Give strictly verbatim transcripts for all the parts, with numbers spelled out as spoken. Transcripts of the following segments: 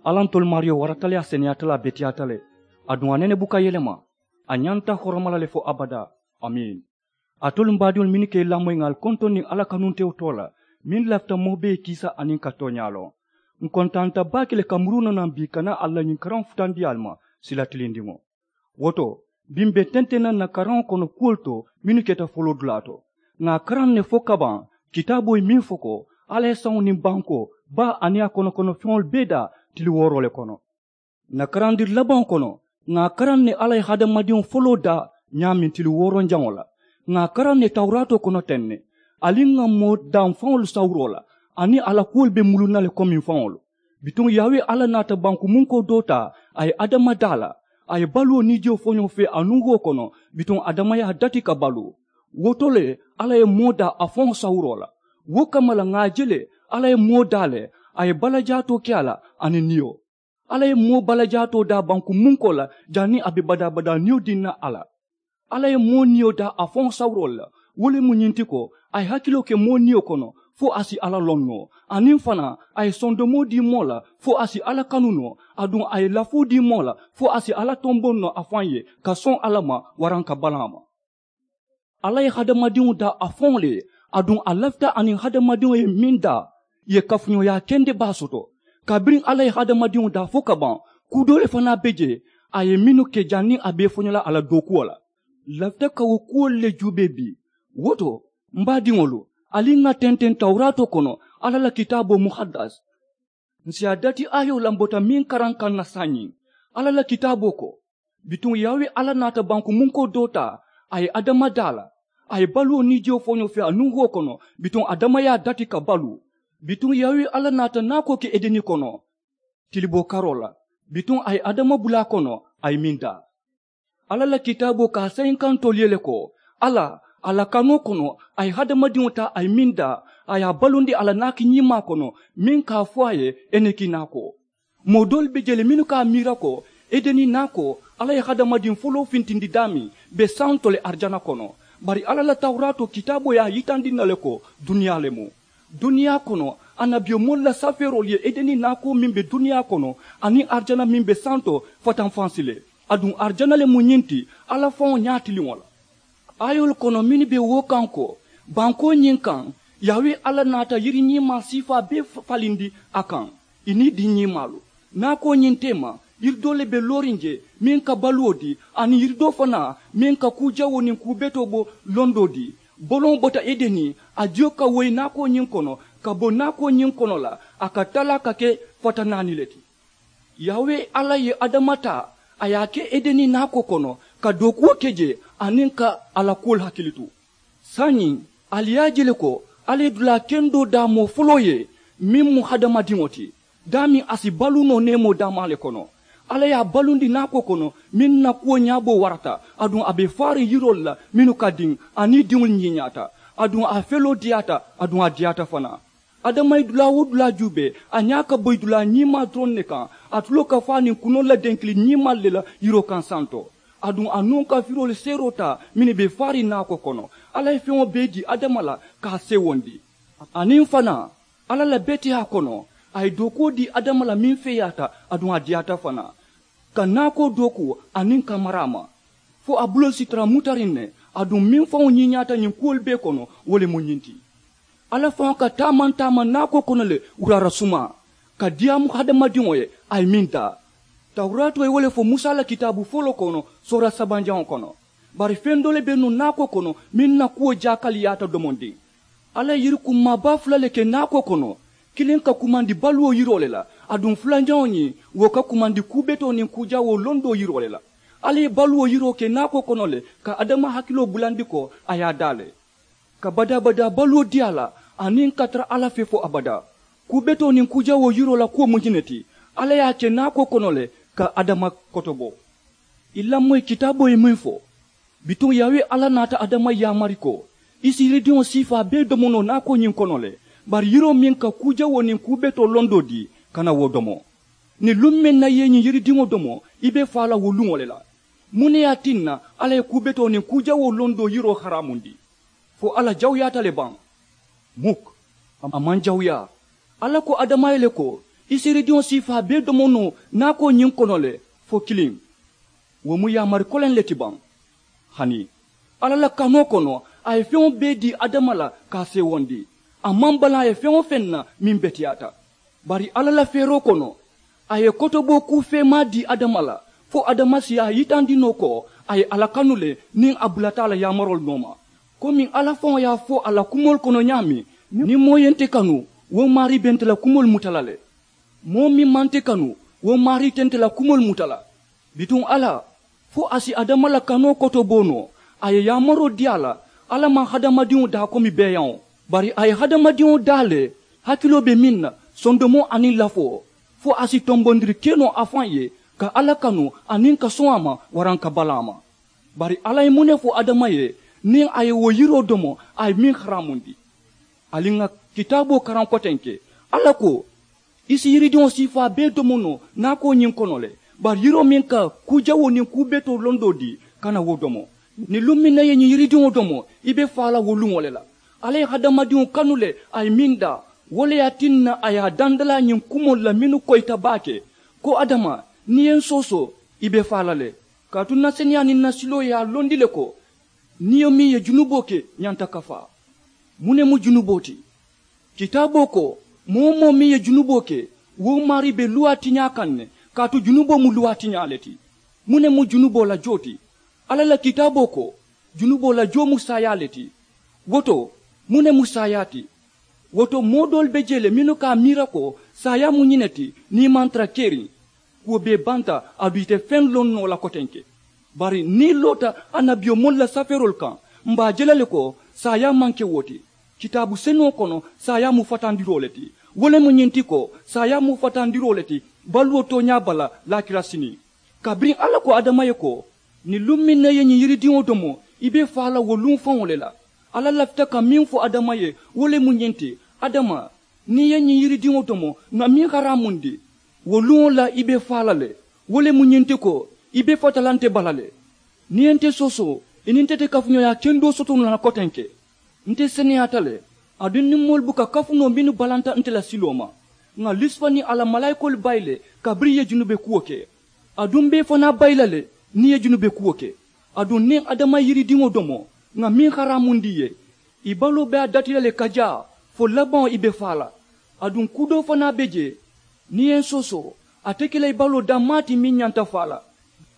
Alla ntolu maariyo warata le a seneyaata le a beteyaata le. Aduŋ a nene buka yelema. A ñanta horoma la le fo abadaa. Amiin. Alitolu m baadiŋolu mennu ka i lamoyi ŋà ali kontoŋ niŋ alla kanuntewo too la, meŋ lafita moo bee ye kiisa aniŋ ka tooñaa loŋ. Ǹ kontaanta baake le ka muruu noo naŋ bii ka naa ali la ñiŋ karaŋo futandi ali ma sila tilindiŋo. Wo to, bii m̀ be tenteŋ na ǹ na karaŋo kono kuwolu to mennu keta foloodulaa to. Ŋà a karaŋ ne fo kabaŋ, kitaaboo ye meŋ fo ko, alla ye saŋo niŋ bankoo, baa aniŋ a kono kono feŋolu bee daa tili wooroo le kono. Ǹ na karandiri labaŋo kono, ŋà a karaŋ ne alla ye hadamadiŋo foloo daa ñaameŋ tili wooronjaŋo la. Ŋà a karaŋ ne tawuraatoo kono teŋ ne, ali ŋà moo daa m̀ faŋolu sawuroo la, aniŋ a la kuwolu be muluŋ na le komiŋ faŋolu. Bituŋ yaawe alla naata banku munkoo doo taa, a ye adama daa la. A ye baluwo niijiyo foñoo fee a nuŋ wo kono, bituŋ adama ye a dati ka baluu. Wo to le, alla ye moo daa a faŋo sawuroo la. Wo kamma la ŋà a je le, alla ye moo daa le, a ye balajaatoo ke a la aniŋ niyo. Alla ye moo balajaatoo daa banku munkoo la, janniŋ a be badaa-badaa niyo diŋ na a la. Alla ye moo niyo daa a faŋo sawuroo le la. Wo le mu ñiŋ ti ko, a ye hakiloo ke moo niyo kono, fo a si alla loŋ noo. Aniŋ fanaa, a ye sondomoo dii moo la, fo a si alla kanu noo. Aduŋ a ye lafoo dii moo la, fo a si alla tomboŋ noo a faŋ ye, ka soŋ alla ma, waraŋ ka balaa a ma. Alla ye hadamadiŋo daa a faŋo le ye. Aduŋ a lafita aniŋ hadamadiŋo ye meŋ daa, ì ye kafuñooyaa kende baa soto. Kabiriŋ alla ye hadamadiŋo daa fo ka baŋ, kuu doo le fanaa be jee, a ye mennu ke janniŋ a be i foño la a la dookuwo la. Ǹ lafita ka wo kuwolu le juubee bii. Wo to, m baadiŋolu, ali ŋà tenteŋ tawuraatoo kono, alla la kitaaboo muhaddas. Ǹ si a dati aayoo lambota meŋ karaŋ kaŋ na saayiŋ. Alla la kitaaboo ko, bituŋ yaawe alla naata banku munkoo doo taa, a ye adama daa la. A ye baluwo niijiyo foñoo fee a nuŋ wo kono, bituŋ adama ye a dati ka baluu. Bituŋ yaawe alla naata naakoo ke edeni kono, tiliboo karoo la. Bituŋ a ye adama bula a kono, a ye meŋ daa. Alla la kitaaboo ka a sayinkantoolu ye le ko, alla, a la kanoo kono, a ye hadamadiŋo taa a ye meŋ daa, a ye a balundi a la naaki ñiimaa kono, meŋ ka a fo a ye, eneki naakoo. Moo doolu be jee le mennu ka a miira ko, edeni naakoo, alla ye hadamadiŋ foloo fintindi daameŋ, be santo le arijana kono. Bari alla la tawuraatoo kitaaboo ye a yitandi n na le ko, duniyaa le mu. Duniyaa kono, annabiyomoolu la safeeroolu ye edeni naakoo meŋ be duniyaa kono, aniŋ arijana meŋ be santo, fatanfansi le. Aduŋ arijana le mu ñiŋ ti, alla faŋo ñaatiliŋo la. Aayoolu kono mennu be wo kaŋ ko, bankoo ñiŋ kaŋ, yaawe alla naata yiri ñiimaa siifaa bee falindi a kaŋ, ì niŋ i diŋ ñiimaalu. Naakoo ñiŋ teema, yiri doo le be looriŋ jee, meŋ ka baluwo dii, aniŋ yiri doo fanaa, meŋ ka kuu jawoo niŋ kuu betoo bo londoo dii. Boloŋo bota edeni, a jiyo ka woyi naakoo ñiŋ kono, ka bo naakoo ñiŋ kono la, a ka talaa ka ke fata naani le ti. Yaawe alla ye adama taa, a ye a ke edeni naakoo kono, ka dookuwo ke jee, aniŋ ka a la kuwolu hakili tu. Saayiŋ, ali ye a je le ko, alla ye dulaa kendoo daa moo foloo ye, meŋ mu hadamadiŋo ti. Daameŋ a si baluu noo neemoo daamaa le kono. Alla ye a balundi naakoo kono, meŋ na kuwo ñaaboo warata, aduŋ a be faariŋ yiroolu la mennu ka diŋ, aniŋ i diŋolu ñiiñaata, aduŋ a feloo diyaata, aduŋ a diyaata fanaa. Adama ye dulaa wo dulaa juubee, a ñaa ka boyi dulaa ñiimaa doroŋ ne kaŋ. A tuloo ka faa niŋ kunoolu la denkili ñiimaalu le la yiroo kaŋ santo. Aduŋ a nuŋ ka firoolu seeroo taa mennu be faariŋ naakoo kono. Alla ye feŋo bee dii adama la ka a seewondi. Aniŋ fanaa, alla la beteyaa kono, a ye dookuwo dii adama la meŋ feeyaata, aduŋ a diyaata fanaa, ka naakoo dooku aniŋ ka mara a ma, fo a buloo si tara mutariŋ ne. Aduŋ meŋ faŋo ñiiñaata ñiŋ kuwolu bee kono, wo le mu ñiŋ ti. Alla faŋo ka taamaŋ taamaŋ naakoo kono le wuraara sumaa, ka diyaamu hadamadiŋo ye a ye meŋ daa. Tawuraatoo ye wo le fo musa la kitaabu foloo kono, soora sabanjaŋo kono. Bari feŋ doo le be nuŋ naakoo kono meŋ na kuwo jaakaliyaata domondiŋ. Alla ye yiri kummaa baa fula le ke naakoo kono, kiliŋ ka kumandi baluwo yiroo le la, aduŋ fulanjaŋo ñiŋ, wo ka kumandi kuu betoo niŋ kuu jawoo londoo yiroo le la. Alla ye baluwo yiroo ke naakoo kono le, ka adama hakiloo bulandi ko a ye a daa le, ka badaa-badaa baluwo dii a la, aniŋ ka tara alla fee fo abadaa. Kuu betoo niŋ kuu jawoo yiroo la kuwo mu ñiŋ ne ti, alla ye a ke naakoo kono le, ka adama kotobo. I lamoyi kitaaboo ye meŋ fo, bituŋ yaawe alla naata adama yaamari ko, i si yiridiŋo siifaa bee domo noo naakoo ñiŋ kono le, bari yiroo meŋ ka kuu jawoo niŋ kuu betoo londoo dii, kana wo domo. Niŋ luŋ meŋ na i ye ñiŋ yiridiŋo domo, i be faa la wo luŋo le la. Muŋ ne ye a tinna alla ye kuu betoo niŋ kuu jawoo londoo yiroo haraamundi? Fo alla jawuyaata le baŋ? Muk, a maŋ jawuyaa. Alla ko adama ye le ko, I si yiridiŋo siifaa bee domo noo naakoo ñiŋ kono le fo kiliŋ. Wo mu yaamari koleŋ le ti baŋ. Hani alla la kanoo kono, a ye feŋo bee dii adama la ka a seewondi. A maŋ balaŋ a ye feŋ-wo-feŋ na meŋ beteyaata. Bari alla la feeroo kono, a ye kotoboo kuu feemaa dii adama la, fo adama si a yitandi noo ko a ye alla kanu le niŋ a bulata a la yaamaroolu nooma. Komiŋ alla faŋo ye a fo a la kumoolu kono ñaameŋ, niŋ moo ye nte kanu, wo maarii be nte la kumoolu muta la le. Moo meŋ maŋ nte kanu, wo maarii te nte la kumoolu muta la. Bituŋ alla, fo a si adama la kanoo kotoboo noo, a ye yaamaroo dii a la. Alla maŋ hadamadiŋo daa komi beeyaŋo, bari a ye hadamadiŋo daa le hakiloo be meŋ na, sondomoo aniŋ lafoo, fo a si tombondiri ke noo a faŋ ye, ka alla kanu aniŋ ka soŋ a ma waraŋ ka bala a ma. Bari alla ye muŋ ne fo adama ye? Niŋ a ye wo yiroo domo, a ye meŋ haraamundi. Ali ŋà kitaaboo karaŋ kotenke. Alla ko, i si yiridiŋo siifaa bee domo noo naakoo ñiŋ kono le, bari yiroo meŋ ka kuu jawoo niŋ kuu betoo londoo dii, kana wo domo. Niŋ luŋ meŋ na i ye ñiŋ yiridiŋo domo, i be faa la wo luŋo le la. Alla ye hadamadiŋo kanu le, a ye meŋ daa, wo le ye a tinna a ye a dandalaa ñiŋ kumoolu la mennu koyita baake, ko adama, niŋ i ye n soosoo, i be faa la le. Kaatu n na seneyaa niŋ n na siloo ye a londi le ko, niyo meŋ ye junuboo ke ñanta kafaa. Muŋ ne mu junuboo ti? Kitaaboo ko, moo-wo-moo meŋ ye junuboo ke, wo maarii be luwaa tiñaa kaŋ ne. Kaatu junuboo mu luwaa tiñaa le ti. Muŋ ne mu junuboo la joo ti? Alla la kitaaboo ko, junuboo la joo mu saayaa le ti. Wo to, muŋ ne mu saayaa ti? Wo to, moo doolu be jee le mennu ka a miira ko saayaa mu ñiŋ ne ti, niŋ i maŋ tara keriŋ, kuwo bee banta, aduŋ i te feŋ loŋ noo la kotenke. Bari niŋ i loota annabiyomoolu la safeeroolu kaŋ, m̀ be a je la le ko saayaa maŋ ke wo ti. Kitaabu senuŋo kono, saayaa mu fatandiroo le ti. Wo le mu ñiŋ ti ko, saayaa mu fatandiroo le ti baluwo tooñaa bala laakira siniŋ. Kabiriŋ alla ko adama ye ko, niŋ luŋ meŋ na i ye ñiŋ yiridiŋo domo, i be faa la wo luŋ faŋo le la. Alla lafita ka meŋ fo adama ye, wo le mu ñiŋ ti, adama, niŋ i ye ñiŋ yiridiŋo domo, ŋà meŋ haraamundi, wo luŋo la i be faa la le. Wo le mu ñiŋ ti ko, i be fata la nte bala le. Niŋ i ye nte soosoo, i niŋ nte te kafuñooyaa kendoo soto noo la kotenke. Nte seneyaata le, aduŋ niŋ moolu buka kafu noo mennu balanta nte la siloo ma. Ŋà lusifa niŋ a la malaayikoolu bayi le, kabiriŋ i ye junube kuwo ke. Aduŋ m̀ be i fanaa bayi la le, niŋ i ye junube kuwo ke. Aduŋ niŋ adama ye yiridiŋo domo, ŋà meŋ haraamundi i ye, i baloo be a dati la le ka jaa, fo labaŋo i be faa la. Aduŋ kuu doo fanaa be jee, niŋ i ye n soosoo, a te ke la i baloo dammaa ti meŋ ñanta faa la.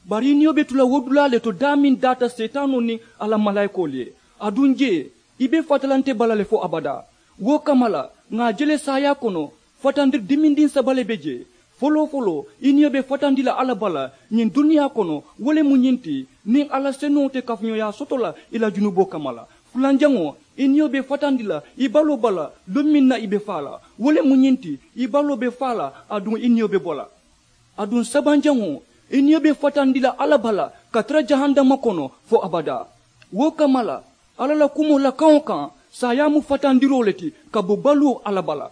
Bari i niyo be tu la wo dulaa le to daameŋ daata seetaanoo niŋ a la malaayikoolu ye. Aduŋ jee, i be fata la nte bala le fo abadaa. Wo kamma la, ŋà a je le saayaa kono, fatandiri dimindiŋ saba le be jee. Foloo-foloo, i niyo be fatandi la alla bala ñiŋ duniyaa kono. Wo le mu ñiŋ ti, niŋ alla senuŋo te kafuñooyaa soto la i la junuboo kamma la. Fulanjaŋo, i niyo be fatandi la i baloo bala luŋ meŋ na i be faa la. Wo le mu ñiŋ ti, i baloo be faa la, aduŋ i niyo be bo la. Aduŋ sabanjaŋo, i niyo be fatandi la alla bala ka tara jahannama kono fo abadaa. Wo kamma la, alla la kumoo la kaŋo kaŋ, saayaa mu fatandiroo le ti ka bo baluwo alla bala.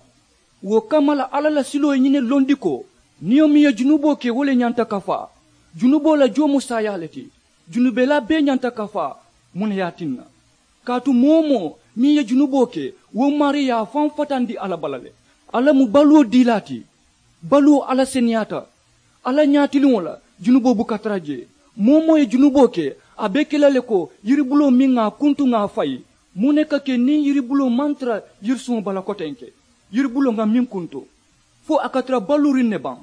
Wo kamma la, alla la siloo ye ñiŋ ne londi ko, niyo meŋ ye junuboo ke wo le ñanta kafaa. Junuboo la joo mu saayaa le ti. Junubelaa bee ñanta kafaa. Muŋ ne ye a tinna? Kaatu moo-wo-moo meŋ ye junuboo ke, wo maarii ye a faŋ fatandi alla bala le. Alla mu baluwo diilaa ti. Baluwo alla seneyaata. Alla ñaatiliŋo la, junuboo buka tara jee. Moo-wo-moo ye junuboo ke, a be ke la le ko yiribuloo meŋ ŋà a kuntu ŋà a fayi. Muŋ ne ka ke niŋ yiribuloo maŋ tara yirisuŋo bala kotenke? Yiribuloo ŋà meŋ kuntu, fo a ka tara baluuriŋ ne baŋ?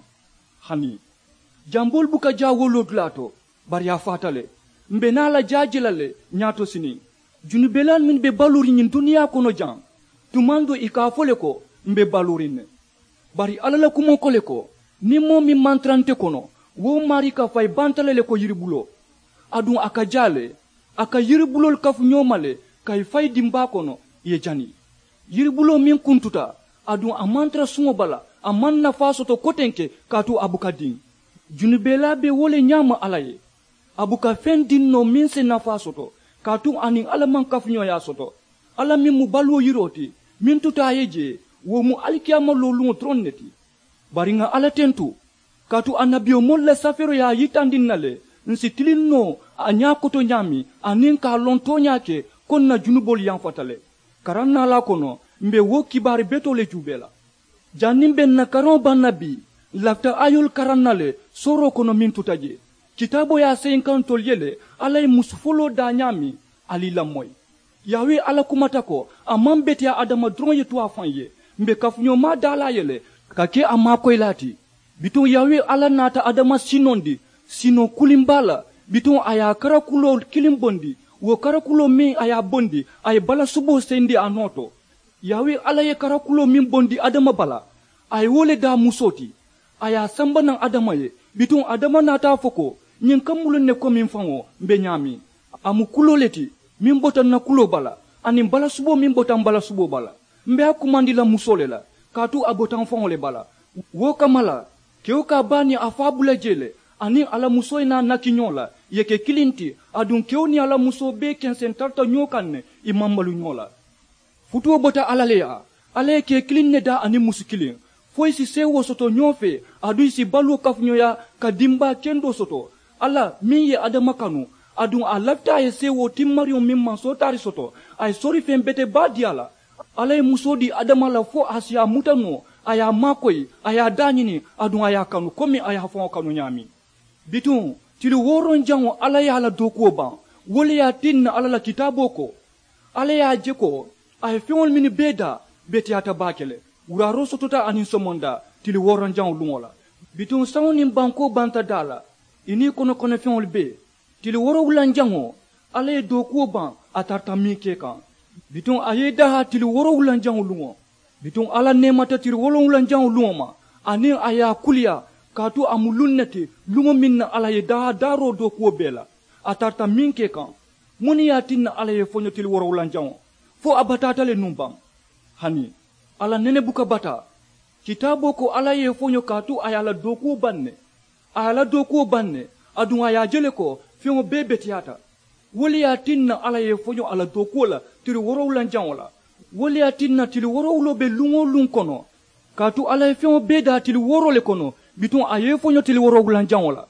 Hani, jamboolu buka jaa wo loodulaa to, bari a faata le. M̀ be naa la jaa je la le ñaato siniŋ. Junubelaalu mennu be baluuriŋ ñiŋ duniyaa kono jaŋ, tumaŋ doo i ka a fo le ko, m̀ be baluuriŋ ne. Bari alla la kumoo ko le ko, niŋ moo meŋ maŋ tara nte kono, wo maarii ka fayi banta le le ko yiribuloo. Aduŋ a ka jaa le, a ka yiribuloolu kafu ñoo ma le, ka i fayi dimbaa kono, i ye jani. Yiribuloo meŋ kuntuta, aduŋ a maŋ tara suŋo bala, a maŋ nafaa soto kotenke, kaatu a buka diŋ. Junubelaa be wo le ñaama alla ye. A buka feŋ diŋ noo meŋ si nafaa soto, kaatu a niŋ alla maŋ kafuñooyaa soto. Alla meŋ mu baluwo yiroo ti, meŋ tuta a ye jee, wo mu alikiyaama looluŋo doroŋ ne ti. Bari ŋà alla tentu, kaatu annabiyomoolu la safeeroo ye a yitandi ǹ na le, ǹ si tiliŋ noo a ñaa koto ñaameŋ, aniŋ ka a loŋ tooñaa ke, ko ǹ na junuboolu yamfata le. Karaŋ naalaa kono, m̀ be wo kibaari betoo le juubee la. Janniŋ be n na karaŋo baŋ na bii, n lafita ayoolu karaŋ na le sooroo kono meŋ tuta jee. Kitaaboo ye a seyiŋ kaŋ ntolu ye le alla ye musu foloo daa ñaameŋ. Ali i lamoyi, yaawe alla kumata ko a maŋ beteyaa adama doroŋ ye tu a faŋ ye. M̀ be kafuñoo maa daa la a ye le ka ke a maakoyilaa ti. Bituŋ yaawe alla naata adama sinondi sinoo kuliŋ baa la. Bituŋ a ye a karakuloo kiliŋ bondi, wo karakuloo meŋ a ye a bondi a ye balasuboo seyindi a noo to. Yaawe alla ye karakuloo meŋ bondi adama bala, a ye wo le daa musoo ti. A ye a samba naŋ adama ye. Bituŋ adama naata a fo ko, ñiŋ ka muluŋ ne komiŋ faŋo m̀ be ñaameŋ? A mu kuloo le ti meŋ bota n na kuloo bala, aniŋ balasuboo meŋ bota m balasuboo bala. M̀ be a kumandi la musoo le la, kaatu a bota m faŋo le bala. Wo kamma la, kewo ka a baa niŋ a faa bula jee le, aniŋ a la musoo ye naa naki ñoo la, ì ye ke kiliŋ ti. Aduŋ kewo niŋ a la musoo bee kenseŋ tarata ñoo kaŋ ne, ì maŋ malu ñoo la. Futuo bota alla le yaa. Alla ye kee kiliŋ ne daa aniŋ musu kiliŋ, fo ì si seewoo soto ñoo fee, aduŋ ì si baluwo kafuñooyaa ka dimbaa kendoo soto. Alla meŋ ye adama kanu, aduŋ a lafita a ye seewoo timmariŋo meŋ maŋ sootaari soto, a ye sori feŋ bete baa dii a la. Alla ye musoo dii adama la fo a si a muta noo, a ye a maakoyi, a ye a daañini, aduŋ a ye a kanu komi a ye a faŋo kanu ñaameŋ. Bituŋ tili wooroŋ jaŋo alla ye a la dookuwo baŋ. Wo le ye a tinna alla la kitaaboo ko, alla ye a je ko a ye feŋolu mennu bee daa beteyaata baake le. Wuraaroo sotota aniŋ somondaa tili wooroŋ jaŋo luŋo la. Bituŋ saŋo niŋ bankoo banta daa la, ì niŋ i konokono feŋolu bee. Tili woorowulanjaŋo, alla ye dookuwo baŋ a tarata meŋ ke kaŋ. Bituŋ a ye i daahaa tili woorowulanjaŋo luŋo. Bituŋ alla neemata tili woorowulanjaŋo luŋo ma, aniŋ a ye a kuliyaa, kaatu a mu luŋ ne ti luŋo meŋ na alla ye daahaa daaroo dookuwo bee la a tarata meŋ ke kaŋ. Muŋ ne ye a tinna alla ye i foño tili woorowulanjaŋo? Fo a bataata le nuŋ baŋ? Hani a la nene buka bataa. Kitaaboo ko alla ye i foño kaatu a ye a la dookuwo baŋ ne. A ye a la dookuwo baŋ ne. Aduŋ a ye a je le ko feŋo bee beteyaata. Wo le ye a tinna alla ye i foño a la dookuwo la tili woorowulanjaŋo la. Wo le ye a tinna tili woorowuloo be luŋ-wo-luŋ kono, kaatu alla ye feŋo bee daa tili wooroo le kono. Bituŋ a ye i foño tili woorowulanjaŋo la.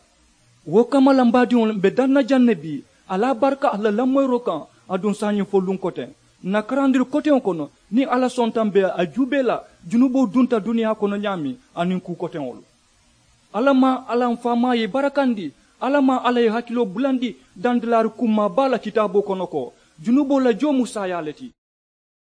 Wo kamma la m baadiŋolu m be daŋ na jaŋ ne bii. Alla baraka alla la lamoyiroo kaŋ. Aduŋ saayiŋ fo luŋ koteŋ n na karandiri koteŋo kono, niŋ alla sonta m be a juubee la junuboo dunta duniyaa kono ñaameŋ, aniŋ kuu koteŋolu. Alla maŋ alla m faamaa ye i barakandi. Alla maŋ alla ye i hakiloo bulandi dandalaari kummaa baa la kitaaboo kono ko junuboo la joo mu saayaa le ti.